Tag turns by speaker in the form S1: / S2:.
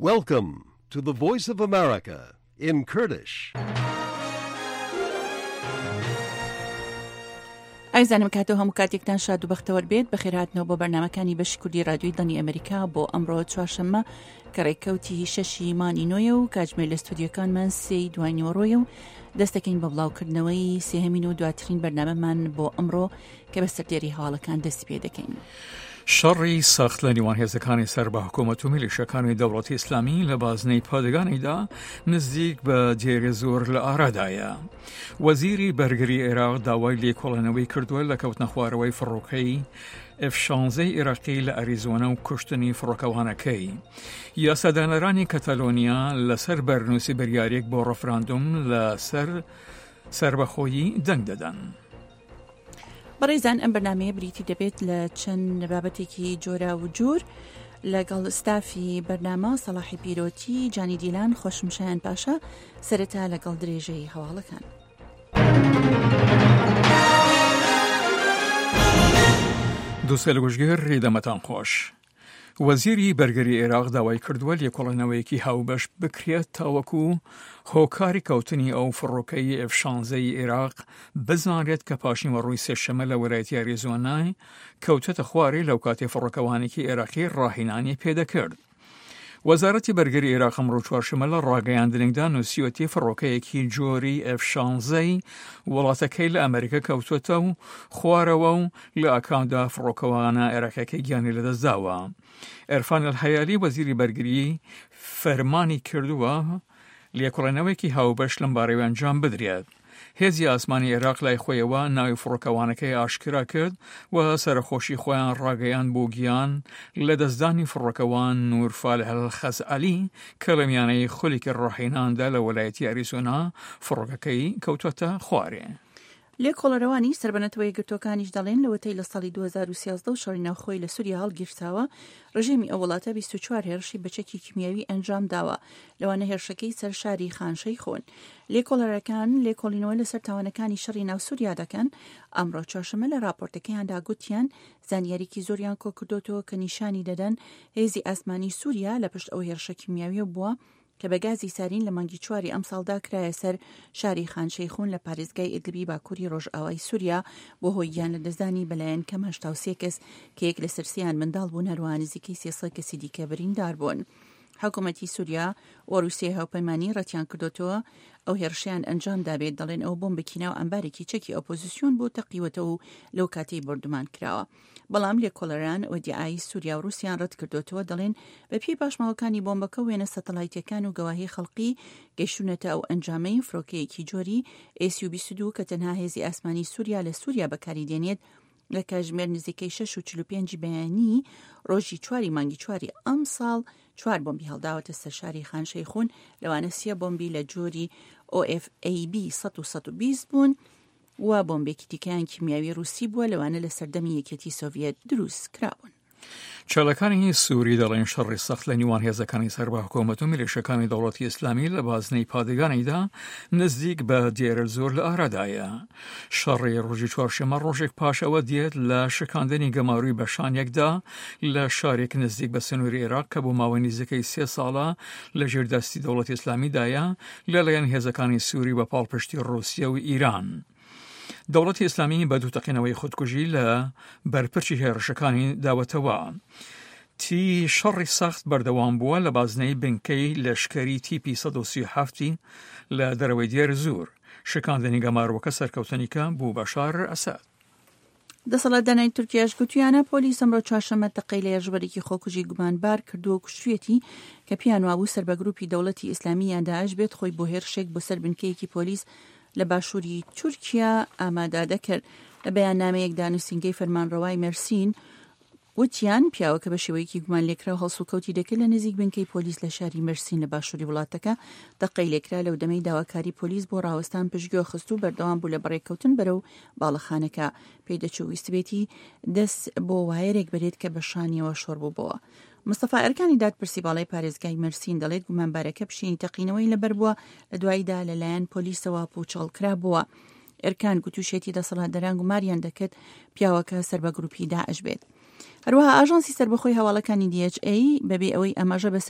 S1: Welcome to the Voice of America in Kurdish.
S2: ئازیزانم کاتەوە هەموو کاتێکتان شاد و بەختەوەر بێت بەخێرهاتنەوە بۆ بەرنمەکانی بەشی کوردی رادیۆی دەنگی ئەمریکا بۆ ئەمڕۆ چوارشەممە کە ڕێککەوتی شەشی مانی نۆیە و کاتژمێر لە ستودیۆکانمان سێی دوای نیوەڕۆیە و دەستەکەین بە بڵاوکردنەوەی سێهەمین و دواترین بەرنامەمان بۆ ئەمڕۆ کە بە سەردێری هەواڵەکان دەستی پێ دەکەین.
S3: شەڕی سەخت لە نێوان هێزەکانی سەر بە حکوومەت و میلیشەکانی دەوڵەتی ئیسلامی لە بازنەی پادگانیدا نزیک بە دێرەزۆر لە ئارادایە. وەزیری بەرگری عێراق داوای لێکۆڵێنەوەی کردووە لە کەوتنەخوارەوەی فڕۆکەی ئێف شانزەی عێراقی لە ئەریزۆنا و کوشتنی فڕۆکەوانەکەی. یاسادانەرانی کەتەلۆنیا لەسەر بەرنووسی بریارێک بۆ ڕفراندوم لەسەر سەربەخۆیی دەنگ دەدەن.
S2: بەڕێزان ئەم بەرنمەیە بریتی دەبێت لە چەند بابەتێکی جۆرا و جۆر لەگەڵ ستافی بەرنامە سەڵاحی پیرۆتی جانی دیلان خۆشم شایان پاشا سەرەتا لەگەڵ درێژەی هەواڵەکان.
S3: دووسێ لە گوشگیر دەمەتان خۆش. وەزیری بەرگری عێراق داوای کردووە لێکۆڵێنەوەیەکی هاوبەش بکرێت تاوەکو هۆکاری کەوتنی ئەو فڕۆکەی ئێف شانزەی عێراق بزانرێت کە پاشنیوەڕۆی سێشەمە لە وەلایەتی ئەریزۆنای کەوتەتە خوارێ لەو کاتی فڕۆکەوانێکی عێراقی ڕاهێنانی پێدەکرد. وەزارەتی بەرگری عێراق ئەمڕۆ چوارشەممە لە ڕاگەیاندنێکدا نووسیوەتی فڕۆکەیەکی جۆری ئێف شانزەی وڵاتەکەی لە ئەمریکا کەوتووەتە و خوارەوە و لە ئاکامدا فڕۆکەوانە عێراقیەکەی گیانی لەدەستداوە. عرفان الحەیالی وەزیری بەرگری فەرمانی کردووە لێکۆڵێنەوەیەکی هاوبەش لەم بارەوە ئەنجام بدرێت. هێزی ئاسمانی عێراق لای خۆیەوە ناوی فڕۆکەوانەکەی ئاشکرا کرد و سەرەخۆشی خۆیان ڕاگەیاند بۆ گیان لەدەستدانی فڕۆکەوان نور فالح الخەزعەلی کە لە میانەی خولێکی ڕاهێناندا لە وەلایەتی ئەریزۆنا فڕۆکەکەی کەوتوەتە خوارێ.
S2: لێکۆڵەرەوانی سەر بە نەتەوە یەکگرتووەکانیش دەڵێن لەوەتەی لە ساڵی 2013 و شەڕی ناوخۆی لە سووریا هەڵگیرساوە، ڕژێمی ئەو وڵاتە 24 هێرشی بە چەکی کیمیاوی ئەنجام داوە، لەوانە هێرشەکەی سەر شاری خان شەیخون. لێکۆڵەرەکان لێکۆڵینەوە لەسەر تاوانەکانی شەڕی ناو سووریا دەکەن، ئەمڕۆ چوارشەممە لە ڕاپۆرتەکەیاندا گوتیان زانیاریی زۆریان کۆکردۆتەوە کە نیشانی دەدەن هێزی ئاسمانی سووریا لە پشت ئەو هێرشە کیمیاویە بووە کە بە گازی سارین لە مانگی چواری ئەمساڵدا کرایە سەر شاری خان شەیخون لە پارێزگای ئیدلبی باکووری ڕۆژئاوای سووریا بۆ هۆی گیانلەدەستدانی بەلایەن کەم 83 کەس کە یەک لەسەر سێیان منداڵ بوون هەروەها نزیکەی 300 کەسی دیکە بریندار بوون. حکوومەتی سووریا و ڕووسیای هاوپەیمانی ڕەتیان کردۆتەوە ئەو هێرشەیان ئەنجام دابێت، دەڵێن ئەوە بۆمبێکی ناو ئەمبارێکی چەکی ئۆپۆزیسیۆن بوو تەقیوەتەوە و لەو کاتەی بۆردومان کراوە. بەڵام لێکۆڵەران ئیدیعای سووریا و ڕووسیان ڕەتکردۆتەوە، دەڵێن بەپێی پاشماوەکانی بۆمبەکە و وێنە سەتەلایتیەکان و گەواهی خەڵقی گەیشتوونەتە ئەو ئەنجامەی فرۆکەیەکی جۆری ئێس یو 22 کە تەنها هێزی ئاسمانی سووریا لە سووریا بەکاری دێنێت لە کاتژمێر نزیکەی 6 و 45 بەیانی ڕۆژی چواری مانگی چواری ئەمساڵ چوار بۆمبی هەڵداوەتە سەر شاری خان شەیخون لەوانە سێ بۆمبی لە جۆری OFAB 100 و 120 بوون و بۆمبێکی دیکەیان کیمیاوی ڕووسی بووە لەوانە لە سەردەمی یەکێتی سۆڤیەت دروست کراون.
S3: چالاکانی سووری دەڵێن شەڕی سەخت لە نیوان هێزەکانی سەر بە حکوومەت و میلیشەکانی دەوڵەتی ئیسلامی لە بازنەی پادگانیدا نزیک بە دێرەزۆر لە ئارادایە. شەڕی ڕۆژی چوارشەممە ڕۆژێک پاش ئەوە دێت لە شکاندنی گەماروی بەشانێکدا لە شارێک نزیک بە سنووری عێراق کە بۆ ماوەی نزیکەی سێ ساڵە لە ژێر دەستی دەوڵەتی ئیسلامیدایە لەلایەن هێزەکانی سووری بە پاڵپشتی ڕووسیە و ئیران. دەوڵەتی ئیسلامی بە دوو تەقینەوەی خودکوژی لە بەرپرچی هێرشەکانی داوەتەوە. تی شەڕی سەخت بەردەوام بووە لە بازنەی بنکەی لەشکەری تیپی 137 لە دەرەوەی دێر زور. شکاندنی گەمارۆکە سەرکەوتنیکە بوو بەشار ئەسەد.
S2: دەسەڵاتدارانی تورکیاش گوتویانە پۆلیس ئەمڕۆ چوارشەممە تەقەی لە هێرشبەرێکی خۆکوژی گومانبار کردووە و کوشتویەتی کە پێیان وابوو سەر بە گروپی دەوڵەتی ئیسلامی یان داعش بێت خۆی بۆ هێرشێک بۆ سەر بنکەیەکی پۆلیس لە باشووری تورکیا ئامادە دەکرد. لە بەیاننامەیەکدا نووسینگەی فەرمانڕەوای مێرسین وتیان، پیاوەکە بە شێوەیەکی گومانلێکراو هەڵسوکەوتی دەکرد لە نزیک بنکەی پۆلیس لە شاری مەرسین لە باشووری وڵاتەکە تەقەی لێکرا لەو دەمەی داواکاری پۆلیس بۆ ڕاوەستان پشتگوێ خست و بەردەوام بوو لە بەڕێکەوتن بەرەو باڵەخانەکە پێدەچوو ویستبێتی دەست بۆ وایەرێک بەرێت کە بە شانیەوە شۆڕ بووبەوە. مستەفا ئەرکانی دادپرسی باڵای پارێزگای مەرسین دەڵێت گومانبارەکە پشینی تەقینەوەی لەبەر بووە لە دواییدا لەلایەن پۆلیسەوە پووچەڵ کرابووە. ئێرکان گوتوشێتی دەسەڵاتداران گوماریان دەکرد پیاوەکە سەر بە گروپی داعش بێت. هەروەها ئاژانسی سەربەخۆی هەواڵەکانی DHA بەبێ ئەوەی ئاماژە بە.